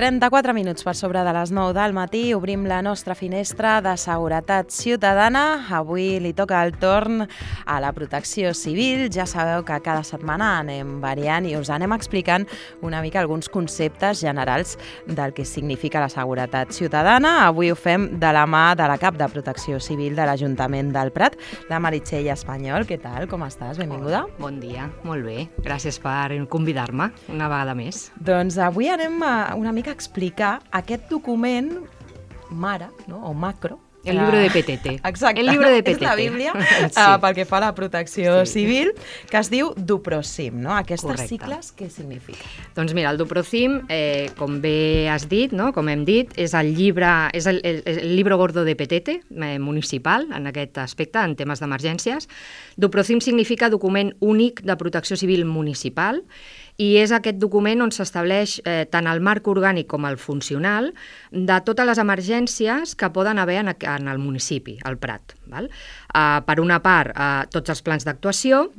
34 minuts per sobre de les 9 del matí, obrim la nostra finestra de seguretat ciutadana. Avui li toca el torn a la protecció civil. Ja sabeu que cada setmana anem variant i us anem explicant una mica alguns conceptes generals del que significa la seguretat ciutadana. Avui ho fem de la mà de la cap de protecció civil de l'Ajuntament del Prat, la Meritxell Espanyol. Què tal? Com estàs? Benvinguda. Hola, bon dia, molt bé. Gràcies per convidar-me una vegada més. Doncs avui anem una mica a explicar aquest document mare, no? O macro. El libro de Petete. Exacte, el libro de Petete. És la Bíblia pel que fa a la protecció civil, que es diu DUPROCIM, no? Aquestes sigles, què significa? Doncs mira, el DUPROCIM, com bé has dit, no? Com hem dit, és el libro gordo de Petete, municipal, en aquest aspecte, en temes d'emergències. DUPROCIM significa document únic de protecció civil municipal, i és aquest document on s'estableix tant el marc orgànic com el funcional de totes les emergències que poden haver en el municipi, al Prat. Val? Per una part, tots els plans d'actuació,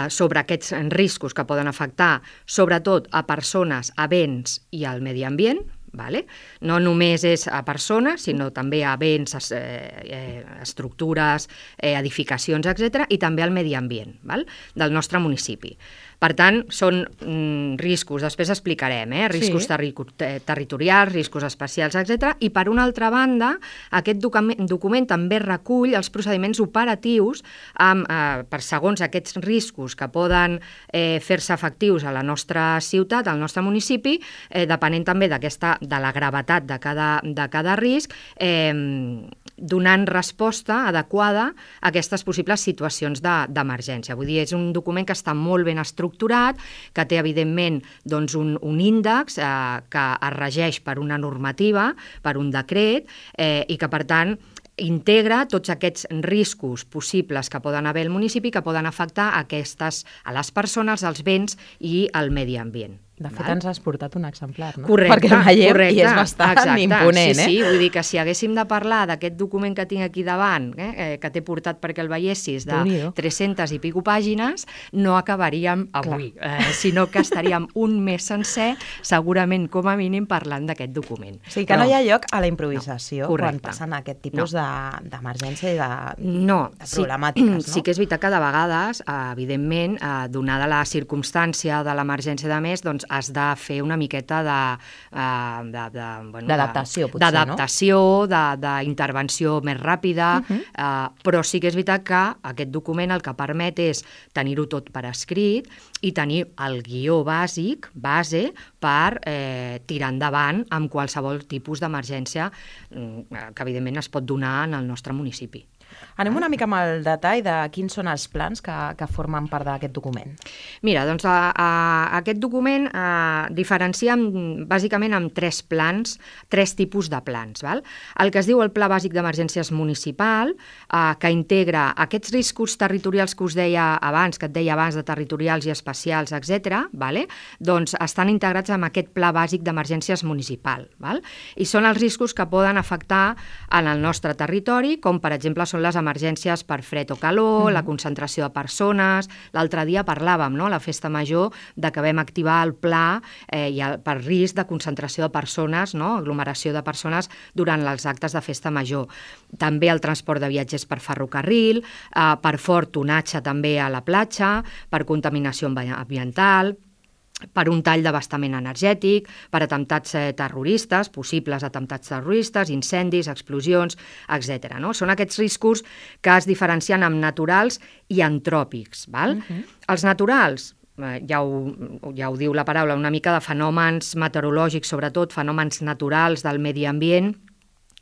sobre aquests riscos que poden afectar sobretot a persones, a béns i al medi ambient. Vale? No només és a persones, sinó també a béns, estructures, edificacions, etc., i també al medi ambient, val? Del nostre municipi. Per tant, són riscos, després explicarem, riscos territorials, riscos especials, etc. I per una altra banda, aquest document també recull els procediments operatius per segons aquests riscos que poden fer-se efectius a la nostra ciutat, al nostre municipi, depenent també de la gravetat de cada risc, donant resposta adequada a aquestes possibles situacions d'emergència. Vull dir, és un document que està molt ben estructurat, que té, evidentment, doncs, un índex que es regeix per una normativa, per un decret, i que, per tant, integra tots aquests riscos possibles que poden haver al municipi, que poden afectar a les persones, als béns i al medi ambient. De fet, ens has portat un exemplar, no? Correcte, perquè el veiem i és bastant imponent. Sí, vull dir que si haguéssim de parlar d'aquest document que tinc aquí davant, que t'he portat perquè el veiessis, de 300 i pico pàgines, no acabaríem avui, sinó que estaríem un mes sencer, segurament, com a mínim, parlant d'aquest document. O sigui que no hi ha lloc a la improvisació quan passen aquest tipus d'emergència i de problemàtiques, no? Sí que és veritat que de vegades, evidentment, donada la circumstància de l'emergència de més, doncs has de fer una miqueta d'adaptació, potser, d'adaptació, d'intervenció més ràpida, però sí que és veritat que aquest document el que permet és tenir-ho tot per escrit i tenir el guió base per tirar endavant amb qualsevol tipus d'emergència que evidentment es pot donar en el nostre municipi. Anem una mica amb el detall de quins són els plans que formen part d'aquest document. Mira, doncs aquest document diferencia bàsicament amb tres tipus de plans. Val? El que es diu el Pla Bàsic d'Emergències Municipal, que integra aquests riscos territorials que us deia abans, de territorials i especials, etc., doncs estan integrats en aquest Pla Bàsic d'Emergències Municipal. Val? I són els riscos que poden afectar en el nostre territori, com per exemple són les emergències per fred o calor, la concentració de persones. L'altre dia parlàvem, a la festa major, de que vam activar el pla per risc de concentració de persones, aglomeració de persones durant els actes de festa major. També el transport de viatgers per ferrocarril, per fort tonatge també a la platja, per contaminació ambiental, per un tall d'abastament energètic, per atemptats terroristes, possibles atemptats terroristes, incendis, explosions, etc. Són aquests riscos que es diferencien en naturals i antròpics. Val? Els naturals, ja ho diu la paraula, una mica de fenòmens meteorològics, sobretot fenòmens naturals del medi ambient,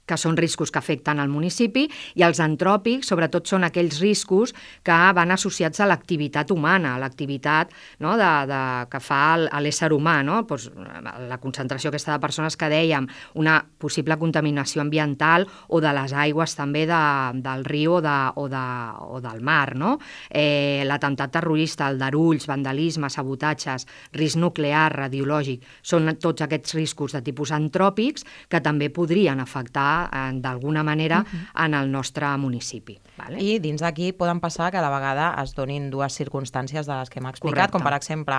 que són riscos que afecten al municipi, i els antròpics, sobretot, són aquells riscos que van associats a l'activitat humana, a l'activitat que fa l'ésser humà, doncs, la concentració aquesta de persones que dèiem, una possible contaminació ambiental o de les aigües també del riu o del mar, l'atemptat terrorista, aldarulls, vandalisme, sabotatges, risc nuclear, radiològic, són tots aquests riscos de tipus antròpics que també podrien afectar d'alguna manera en el nostre municipi. Vale? I dins d'aquí poden passar que a la vegada es donin dues circumstàncies de les que hem explicat, Correcte. com per exemple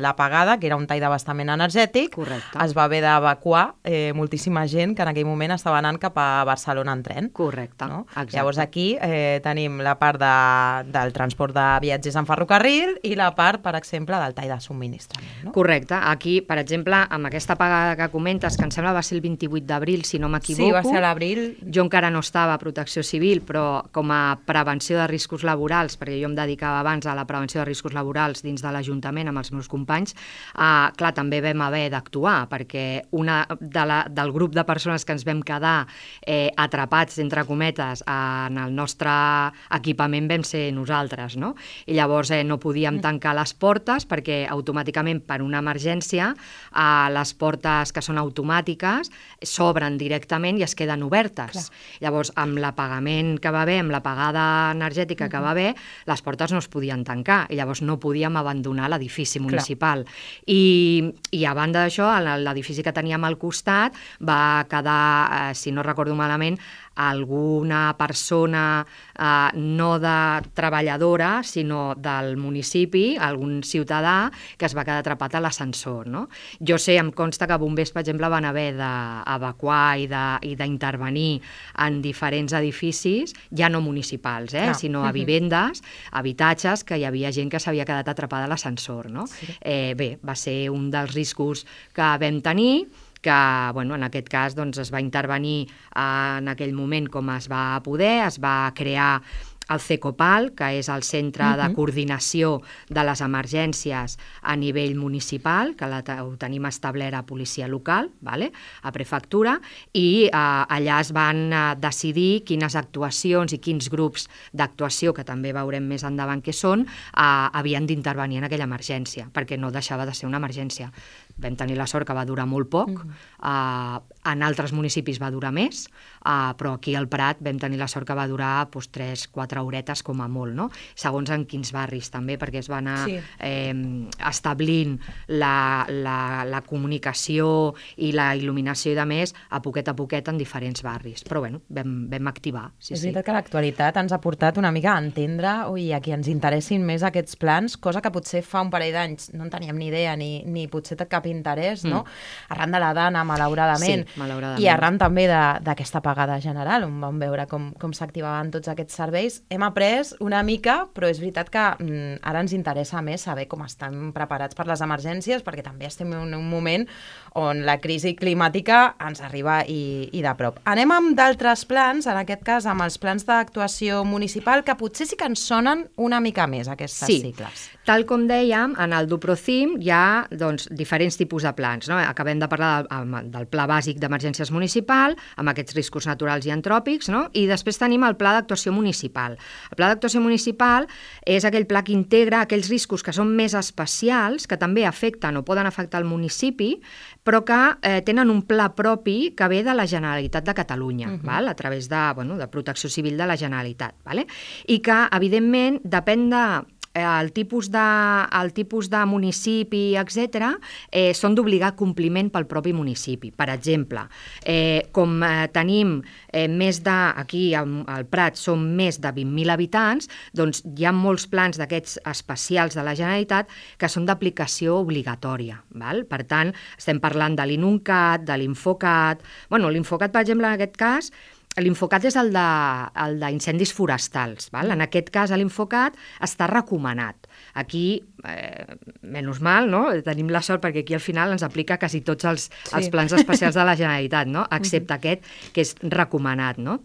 l'apagada, que era un tall d'abastament energètic, Correcte. es va haver d'evacuar moltíssima gent que en aquell moment estava anant cap a Barcelona en tren. Correcte, No? exacte. Llavors aquí tenim la part del transport de viatgers en ferrocarril i la part, per exemple, del tall de subministrament. No? Correcte. Aquí, per exemple, amb aquesta apagada que comentes, que em sembla va ser el 28 d'abril, si no m'equivoco. Sí, va ser a l'abril. Jo encara no estava a Protecció Civil, però com a prevenció de riscos laborals, perquè jo em dedicava abans a la prevenció de riscos laborals dins de l'Ajuntament amb els meus companys, clar, també vam haver d'actuar, perquè una del grup de persones que ens vam quedar atrapats, entre cometes, en el nostre equipament vam ser nosaltres, no? I llavors no podíem tancar les portes perquè automàticament per una emergència les portes que són automàtiques s'obren directament i es queden obertes. Clar. Llavors, amb l'apagament que va haver, amb l'apagada energètica que va haver, les portes no es podien tancar i llavors no podíem abandonar l'edifici municipal. I a banda d'això, l'edifici que teníem al costat va quedar, si no recordo malament, alguna persona no de treballadora, sinó del municipi, algun ciutadà que es va quedar atrapat a l'ascensor. No? Jo sé, em consta que bombers, per exemple, van haver d'evacuar i d'intervenir en diferents edificis, ja no municipals, sinó a vivendes, habitatges, que hi havia gent que s'havia quedat atrapada a l'ascensor. No? Sí. Bé, va ser un dels riscos que vam tenir, que en aquest cas es va intervenir en aquell moment com es va poder, es va crear el CECOPAL, que és el Centre de Coordinació de les Emergències a nivell municipal, que ho tenim establert a policia local, a prefectura, i allà es van decidir quines actuacions i quins grups d'actuació, que també veurem més endavant què són, havien d'intervenir en aquella emergència, perquè no deixava de ser una emergència. Vam tenir la sort que va durar molt poc, en altres municipis va durar més, però aquí al Prat vam tenir la sort que va durar 3-4 horetes com a molt, no? Segons en quins barris també, perquè es va anar establint la comunicació i la il·luminació i de més a poquet en diferents barris. Però vam activar. És veritat que l'actualitat ens ha portat una mica a entendre i a qui ens interessin més aquests plans, cosa que potser fa un parell d'anys no en teníem ni idea ni potser cap interès, no? Arran de la Dana, malauradament, sí, malauradament. I arran també d'aquesta apagada general, on vam veure com s'activaven tots aquests serveis. Hem après una mica, però és veritat que ara ens interessa més saber com estan preparats per les emergències, perquè també estem en un moment on la crisi climàtica ens arriba i de prop. Anem amb d'altres plans, en aquest cas amb els plans d'actuació municipal, que potser sí que ens sonen una mica més, aquestes sigles. Tal com dèiem, en el DuProCim hi ha diferents tipus de plans. No? Acabem de parlar del Pla Bàsic d'Emergències Municipal, amb aquests riscos naturals i antròpics, no? I després tenim el Pla d'Actuació Municipal. El Pla d'Actuació Municipal és aquell pla que integra aquells riscos que són més especials, que també afecten o poden afectar el municipi, però que tenen un pla propi que ve de la Generalitat de Catalunya, val? A través de Protecció Civil de la Generalitat. Vale? I que, evidentment, depèn el tipus de municipi, etc., són d'obligar compliment pel propi municipi. Per exemple, com tenim aquí al Prat són més de 20.000 habitants, doncs hi ha molts plans d'aquests especials de la Generalitat que són d'aplicació obligatòria. Val? Per tant, estem parlant de l'INUNCAT, de l'INFOCAT. L'INFOCAT, per exemple, en aquest cas, l'INFOCAT és el d'incendis forestals. Val? En aquest cas, l'INFOCAT està recomanat. Aquí, menys mal, no? Tenim la sort perquè aquí al final ens aplica quasi tots els plans especials de la Generalitat, no? Excepte aquest, que és recomanat, no?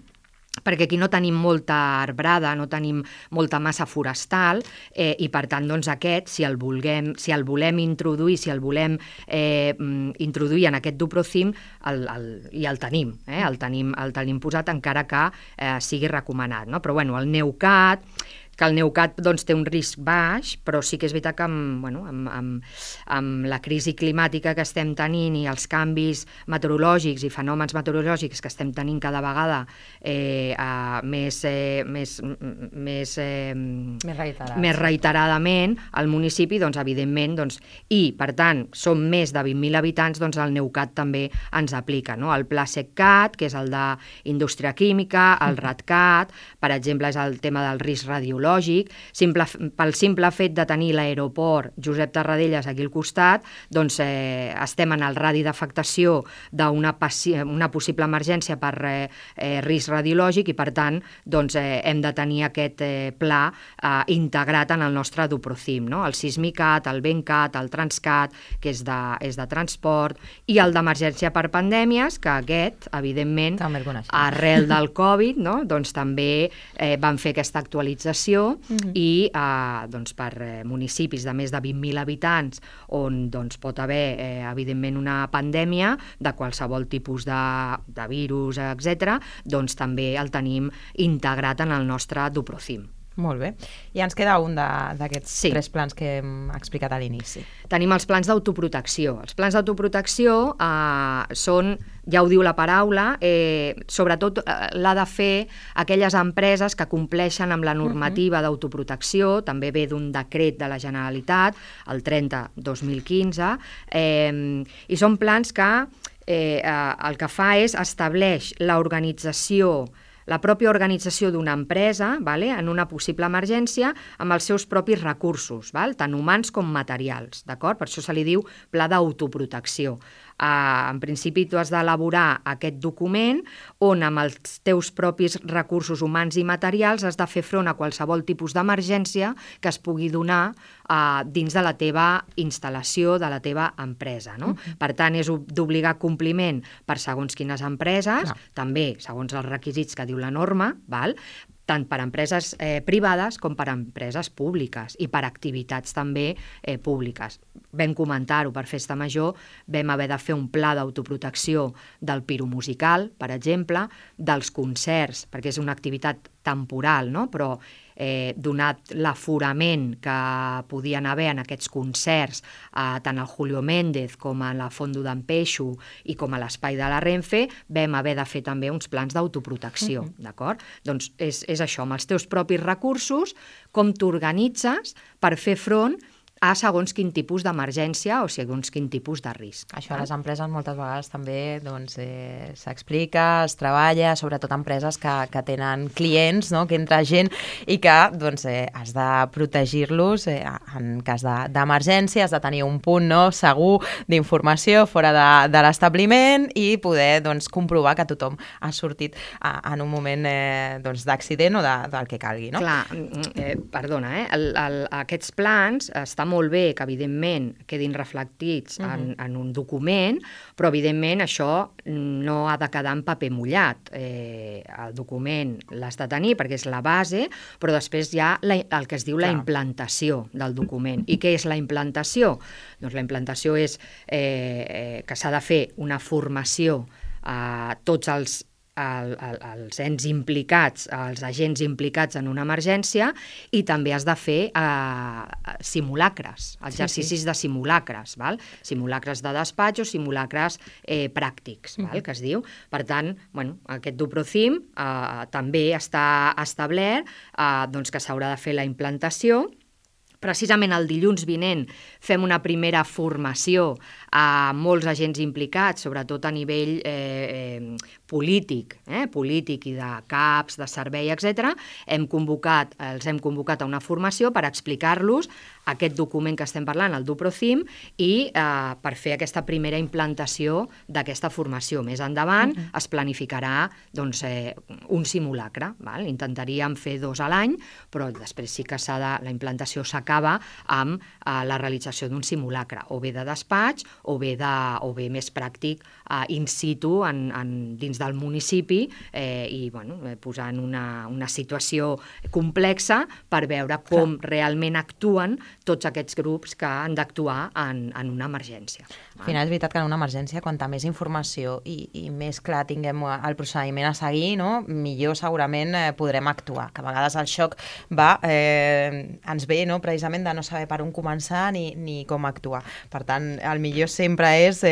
Perquè aquí no tenim molta arbrada, no tenim molta massa forestal i per tant aquest, si el volem introduir, si el volem introduir en aquest DuProCim, i el tenim, el tenim posat encara que sigui recomanat. No? Però el NEUCAT, que el Neucat doncs, té un risc baix, però sí que és veritat que amb la crisi climàtica que estem tenint i els canvis meteorològics i fenòmens meteorològics que estem tenint cada vegada més reiteradament al municipi, doncs, evidentment, i per tant som més de 20.000 habitants, doncs el Neucat també ens aplica, no? El Pla SECCAT, que és el d'indústria química, el RATCAT, per exemple, és el tema del risc radiològic, pel simple fet de tenir l'aeroport Josep Tarradellas aquí al costat, doncs estem en el radi d'afectació d'una possible emergència per risc radiològic i per tant doncs, hem de tenir aquest pla integrat en el nostre DUPROCIM, no? El SISMICAT, el BENCAT, el TRANSCAT, que és de transport, i el d'emergència per pandèmies, que aquest, evidentment, arrel del Covid, no? Doncs també van fer aquesta actualització i doncs, per municipis de més de 20.000 habitants on doncs, pot haver, evidentment, una pandèmia de qualsevol tipus de virus, etc., doncs també el tenim integrat en el nostre DUPROCIM. Molt bé. I ens queda un d'aquests 3 plans que hem explicat a l'inici. Tenim els plans d'autoprotecció. Els plans d'autoprotecció són, ja ho diu la paraula, sobretot l'ha de fer aquelles empreses que compleixen amb la normativa d'autoprotecció, també ve d'un decret de la Generalitat, el 30/2015, i són plans que el que fa és estableix la pròpia organització d'una empresa en una possible emergència amb els seus propis recursos, tant humans com materials, d'acord? Per això se li diu pla d'autoprotecció. En principi tu has d'elaborar aquest document on amb els teus propis recursos humans i materials has de fer front a qualsevol tipus d'emergència que es pugui donar dins de la teva instal·lació, de la teva empresa. No? Per tant, és d'obligar compliment per segons quines empreses, també segons els requisits que diu la norma, tant per empreses privades com per empreses públiques i per activitats també públiques. Vam comentar-ho per Festa Major, vam haver de fer un pla d'autoprotecció del piromusical, per exemple, dels concerts, perquè és una activitat temporal, no? Però donat l'aforament que podien haver en aquests concerts, tant al Julio Méndez com a la Fondo d'en Peixo i com a l'Espai de la Renfe, vam haver de fer també uns plans d'autoprotecció, d'acord? Doncs és això, amb els teus propis recursos, com t'organitzes per fer front a segons quin tipus d'emergència o segons quin tipus de risc. Això a les empreses moltes vegades també s'explica, es treballa, sobretot empreses que tenen clients, que entra gent i que has de protegir-los en cas d'emergència, has de tenir un punt segur d'informació fora de l'establiment i poder comprovar que tothom ha sortit en un moment d'accident o del que calgui. Clar, perdona, aquests plans estan molt bé que, evidentment, quedin reflectits en un document, però, evidentment, això no ha de quedar en paper mullat. El document l'has de tenir perquè és la base, però després hi ha el que es diu la implantació del document. I què és la implantació? Doncs la implantació és que s'ha de fer una formació a tots els ens implicats, els agents implicats en una emergència, i també has de fer simulacres, exercicis de simulacres, simulacres de despatx o simulacres pràctics, que es diu. Per tant, aquest DUPROCIM també està establert que s'haurà de fer la implantació. Precisament el dilluns vinent fem una primera formació a molts agents implicats, sobretot a nivell polític i de CAPs, de servei, etc. Els hem convocat a una formació per explicar-los aquest document que estem parlant, el DUPROCIM, i per fer aquesta primera implantació d'aquesta formació. Més endavant es planificarà un simulacre. Intentaríem fer 2 a l'any, però després sí que la implantació s'acaba acaba amb la realització d'un simulacre, o bé de despatx, o bé més pràctic in situ dins del municipi i posant una situació complexa per veure com realment actuen tots aquests grups que han d'actuar en una emergència. Al final és veritat que en una emergència, quanta més informació i més clar tinguem el procediment a seguir, no? Millor segurament podrem actuar, que a vegades el xoc ens ve precisament de no saber per on començar ni com actuar. Per tant, el millor sempre és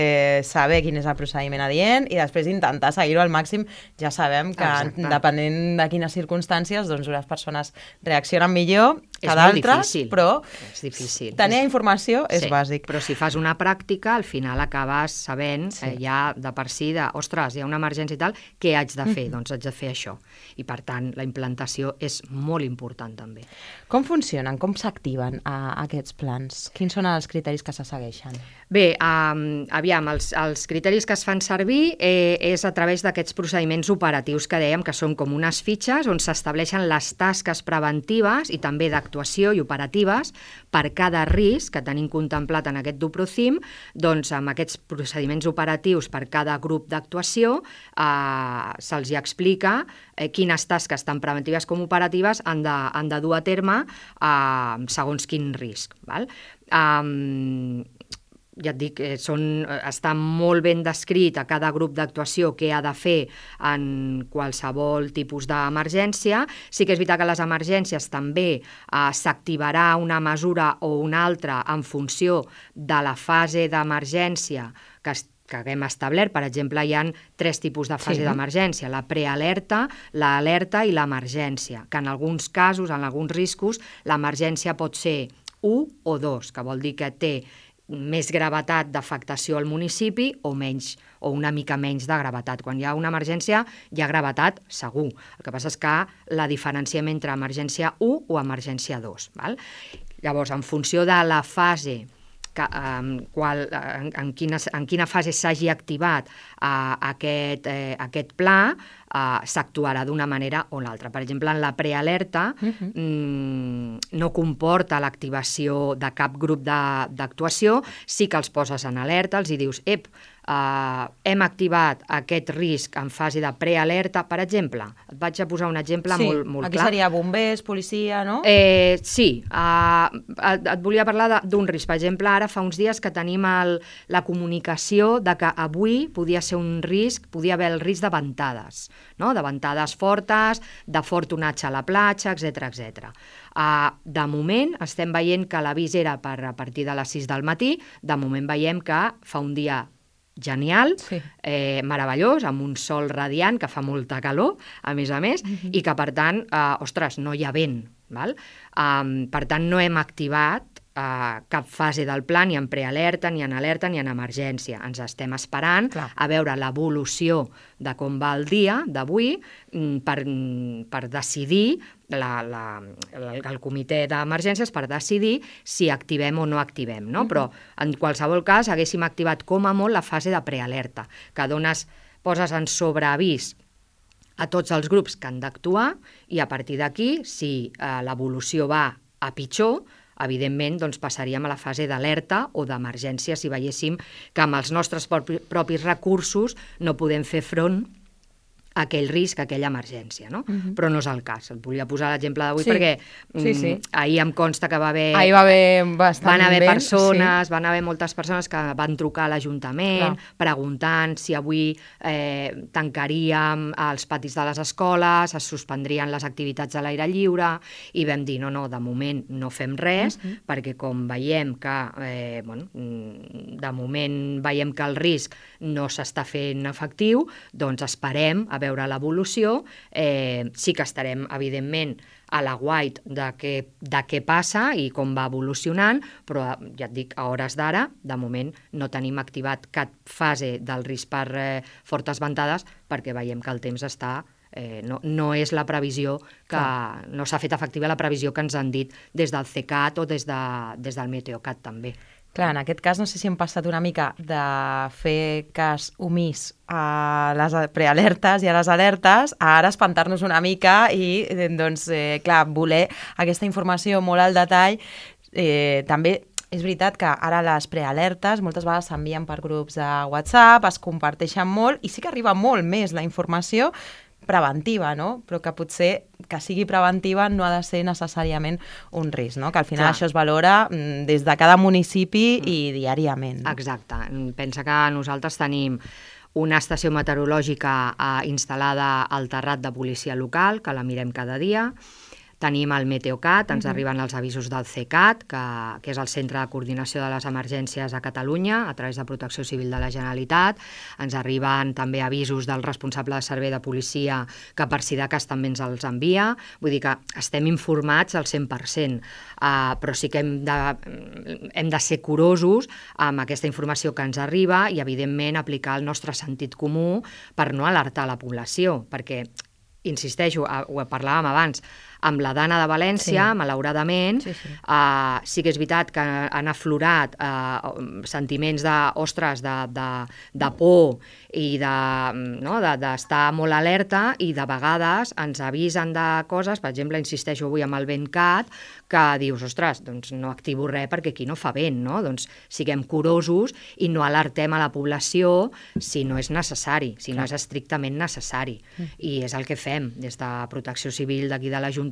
saber quin és el procediment adient i després intentar seguir-ho al màxim. Ja sabem que depenent de quines circumstàncies, doncs unes persones reaccionen millor que d'altres, però tenir informació és bàsic. Però si fas una pràctica, al final acabes sabent ja de per si ostres, hi ha una emergència i tal, què haig de fer? Doncs haig de fer això. I per tant, la implantació és molt important també. Com funcionen? Com s'activen aquests plans? Quins són els criteris que se segueixen? Bé, aviam, els criteris que es fan servir és a través d'aquests procediments operatius que dèiem, que són com unes fitxes on s'estableixen les tasques preventives i també d'actuació i operatives per cada risc que tenim contemplat en aquest DUPROCIM. Doncs amb aquests procediments operatius per cada grup d'actuació se'ls explica quines tasques tant preventives com operatives han de dur a terme segons quin risc. Ja et dic, està molt ben descrit a cada grup d'actuació què ha de fer en qualsevol tipus d'emergència. Sí que és veritat que a les emergències també s'activarà una mesura o una altra en funció de la fase d'emergència que haguem establert. Per exemple, hi ha 3 tipus de fase d'emergència, la prealerta, l'alerta i l'emergència, que en alguns casos, en alguns riscos, l'emergència pot ser 1 o 2, que vol dir que té més gravetat d'afectació al municipi o menys, o una mica menys de gravetat. Quan hi ha una emergència, hi ha gravetat segur. El que passa és que la diferenciem entre emergència 1 o emergència 2. Llavors, en funció de la fase en quina fase s'hagi activat aquest pla, s'actuarà d'una manera o l'altra. Per exemple, en la prealerta no comporta l'activació de cap grup d'actuació, sí que els poses en alerta, els hi dius, hem activat aquest risc en fase de prealerta, per exemple. Et vaig a posar un exemple molt clar. Aquí seria bombers, policia, no? Sí, et volia parlar d'un risc. Per exemple, ara fa uns dies que tenim la comunicació de que avui podia ser un risc, podia haver el risc de ventades, no? De ventades fortes, de fort onatge a la platja, etc. De moment estem veient que l'avís era a partir de les 6 del matí, de moment veiem que fa un dia genial, meravellós, amb un sol radiant que fa molta calor, a més, i que, per tant, no hi ha vent. Per tant, no hem activat cap fase del pla, ni en prealerta, ni en alerta, ni en emergència. Ens estem esperant a veure l'evolució de com va el dia d'avui per decidir, el comitè d'emergències, per decidir si activem o no activem. Però, en qualsevol cas, haguéssim activat com a molt la fase de prealerta, que poses en sobreavís a tots els grups que han d'actuar i a partir d'aquí, si l'evolució va a pitjor, evidentment passaríem a la fase d'alerta o d'emergència si veiéssim que amb els nostres propis recursos no podem fer front a aquell risc, a aquella emergència, no? Però no és el cas. Et volia posar l'exemple d'avui perquè ahir em consta que va haver persones, van haver moltes persones que van trucar a l'Ajuntament preguntant si avui tancaríem els patis de les escoles, es suspendrien les activitats a l'aire lliure, i vam dir, no, de moment no fem res, perquè com veiem que, de moment veiem que el risc no s'està fent efectiu, doncs esperem a veure l'evolució. Sí que estarem, evidentment, a l'aguait de què passa i com va evolucionant, però ja et dic, a hores d'ara, de moment no tenim activat cap fase del risc per fortes ventades perquè veiem que el temps està... No és la previsió que... No s'ha fet efectiva la previsió que ens han dit des del CECAT o des del Meteocat també. Clar, en aquest cas no sé si hem passat una mica de fer cas omís a les prealertes i a les alertes a ara espantar-nos una mica i, voler aquesta informació molt al detall També és veritat que ara les prealertes moltes vegades s'envien per grups de WhatsApp, es comparteixen molt i sí que arriba molt més la informació preventiva, no? Però que potser que sigui preventiva no ha de ser necessàriament un risc, no? Que al final això es valora des de cada municipi i diàriament. No? Exacte. Pensa que nosaltres tenim una estació meteorològica instal·lada al terrat de policia local, que la mirem cada dia. Tenim el Meteocat, ens arriben els avisos del CECAT, que és el Centre de Coordinació de les Emergències a Catalunya, a través de Protecció Civil de la Generalitat. Ens arriben també avisos del responsable de servei de policia, que per si de cas també ens els envia. Vull dir que estem informats al 100%, però sí que hem de ser curosos amb aquesta informació que ens arriba i, evidentment, aplicar el nostre sentit comú per no alertar la població, perquè, insisteixo, ho parlàvem abans, amb la Dana de València, malauradament, sí que és veritat que han aflorat sentiments de por i d'estar molt alerta, i de vegades ens avisen de coses, per exemple, insisteixo avui amb el VentCat, que dius, ostres, doncs no activo res perquè aquí no fa vent, no? Doncs siguem curosos i no alertem a la població si no és necessari, si no és estrictament necessari. I és el que fem des de Protecció Civil d'aquí de l'Ajuntament,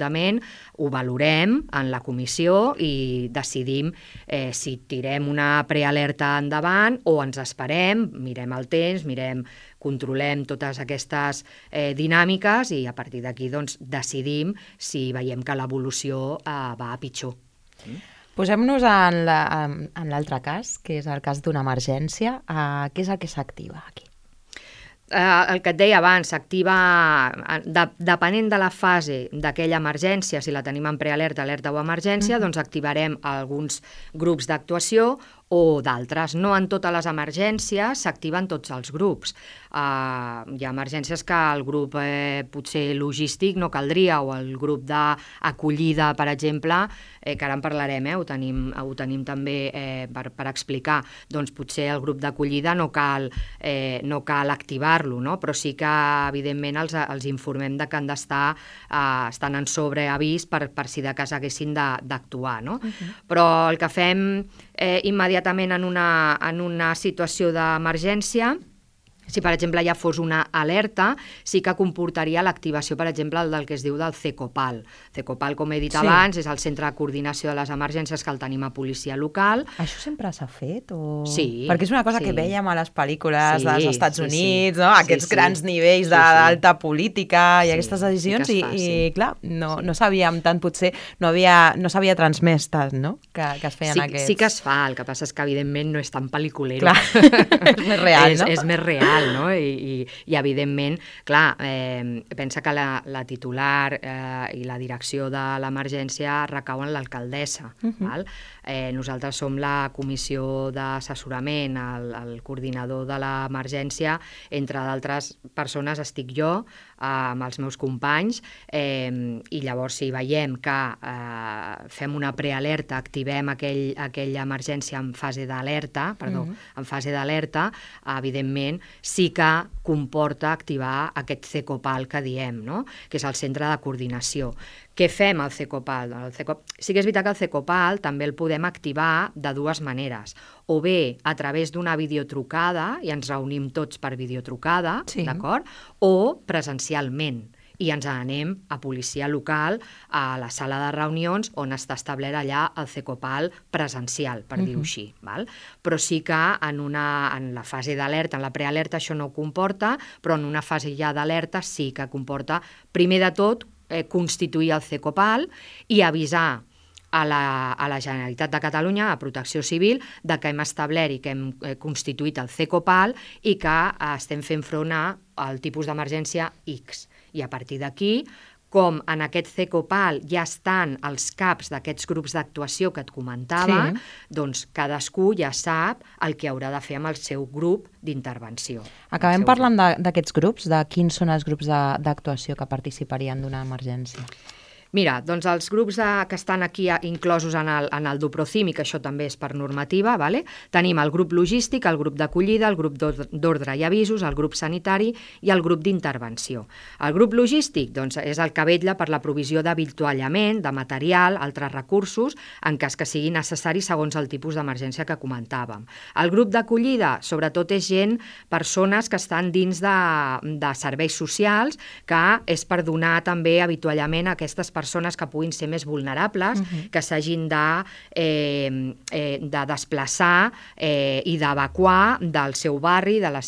ho valorem en la comissió i decidim si tirem una prealerta endavant o ens esperem, mirem el temps, controlem totes aquestes dinàmiques i a partir d'aquí doncs, decidim si veiem que l'evolució va a pitjor. Posem-nos en l'altre cas, que és el cas d'una emergència. Què és el que s'activa aquí? El que et deia abans, s'activa, depenent de la fase d'aquella emergència, si la tenim en prealerta, alerta o emergència, doncs activarem alguns grups d'actuació o d'altres. No en totes les emergències s'activen tots els grups. Hi ha emergències que el grup potser logístic no caldria, o el grup d'acollida, per exemple, que ara en parlarem, ho tenim també per explicar. Doncs potser el grup d'acollida no cal activar-lo, no? Però sí que, evidentment, els informem de que han d'estar estan en sobreavís per si de cas haguessin d'actuar, no? Però el que fem immediatament en una situació d'emergència, si, per exemple, ja fos una alerta, sí que comportaria l'activació, per exemple, del que es diu del CECOPAL. CECOPAL, com he dit abans, és el Centre de Coordinació de les Emergències, que el tenim a policia local. Això sempre s'ha fet? Sí. Perquè és una cosa que vèiem a les pel·lícules dels Estats Units, no? Aquests grans nivells d'alta política i aquestes decisions, i clar, no sabíem tant, potser no s'havia transmès tant, no? Que es feien aquests... Sí que es fa, el que passa és que, evidentment, no és tan pel·liculero. Clar, és més real, no? És més real. No? I evidentment, clar, pensa que la titular i la direcció de l'emergència recauen l'alcaldessa. Nosaltres som la comissió d'assessorament, el coordinador de l'emergència, entre d'altres persones estic jo, amb els meus companys, i llavors si veiem que fem una prealerta, activem aquella emergència en fase d'alerta, evidentment sí que comporta activar aquest CECOPAL que diem, no? Que és el centre de coordinació. Què fem al CECOPAL? Sí que és veritat que el CECOPAL també el podem activar de dues maneres. O bé a través d'una videotrucada, i ens reunim tots per videotrucada, d'acord? O presencialment. I ens anem a policia local, a la sala de reunions, on està establert allà el CECOPAL presencial, per dir-ho així. Però sí que en la fase d'alerta, en la prealerta això no ho comporta, però en una fase ja d'alerta sí que comporta, primer de tot, constituir el CECOPAL i avisar a la Generalitat de Catalunya, a Protecció Civil, de que hem establert i que hem constituït el CECOPAL i que estem fent front al tipus d'emergència X. I a partir d'aquí, com en aquest CECOPAL ja estan els caps d'aquests grups d'actuació que et comentava, doncs cadascú ja sap el que haurà de fer amb el seu grup d'intervenció. Acabem parlant d'aquests grups, de quins són els grups d'actuació que participarien d'una emergència. Mira, doncs els grups que estan aquí inclosos en el DUPROCIM, i que això també és per normativa, vale? Tenim el grup logístic, el grup d'acollida, el grup d'ordre i avisos, el grup sanitari i el grup d'intervenció. El grup logístic doncs, és el que vetlla per la provisió d'avituallament, de material, altres recursos, en cas que sigui necessari segons el tipus d'emergència que comentàvem. El grup d'acollida, sobretot, és gent, persones que estan dins de serveis socials, que és per donar també avituallament a aquestes persones que puguin ser més vulnerables, que s'hagin de desplaçar i d'evacuar del seu barri, del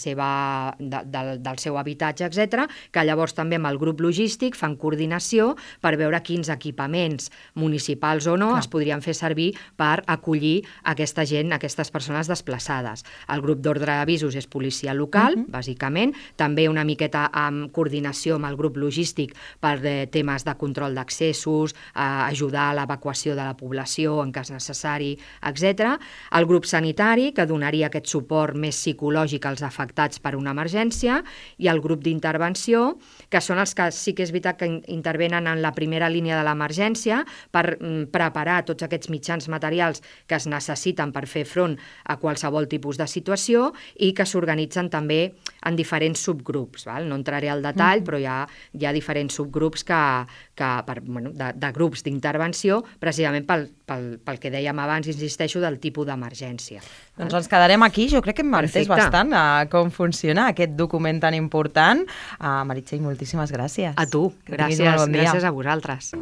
seu habitatge, etc., que llavors també amb el grup logístic fan coordinació per veure quins equipaments municipals o no es podrien fer servir per acollir aquesta gent, aquestes persones desplaçades. El grup d'ordre d'avisos és policia local, bàsicament, també una miqueta amb coordinació amb el grup logístic per temes de control d'accessos, ajudar a l'evacuació de la població en cas necessari, etc. El grup sanitari, que donaria aquest suport més psicològic als afectats per una emergència, i el grup d'intervenció, que són els que sí que és veritat que intervenen en la primera línia de l'emergència per preparar tots aquests mitjans materials que es necessiten per fer front a qualsevol tipus de situació i que s'organitzen també en diferents subgrups. No entraré al detall, però hi ha diferents subgrups de grups d'intervenció, precisament pel que dèiem abans, insisteixo, del tipus d'emergència. Doncs ens quedarem aquí. Jo crec que hem entès bastant com funciona aquest document tan important. Meritxell, moltíssimes gràcies. A tu, gràcies a vosaltres.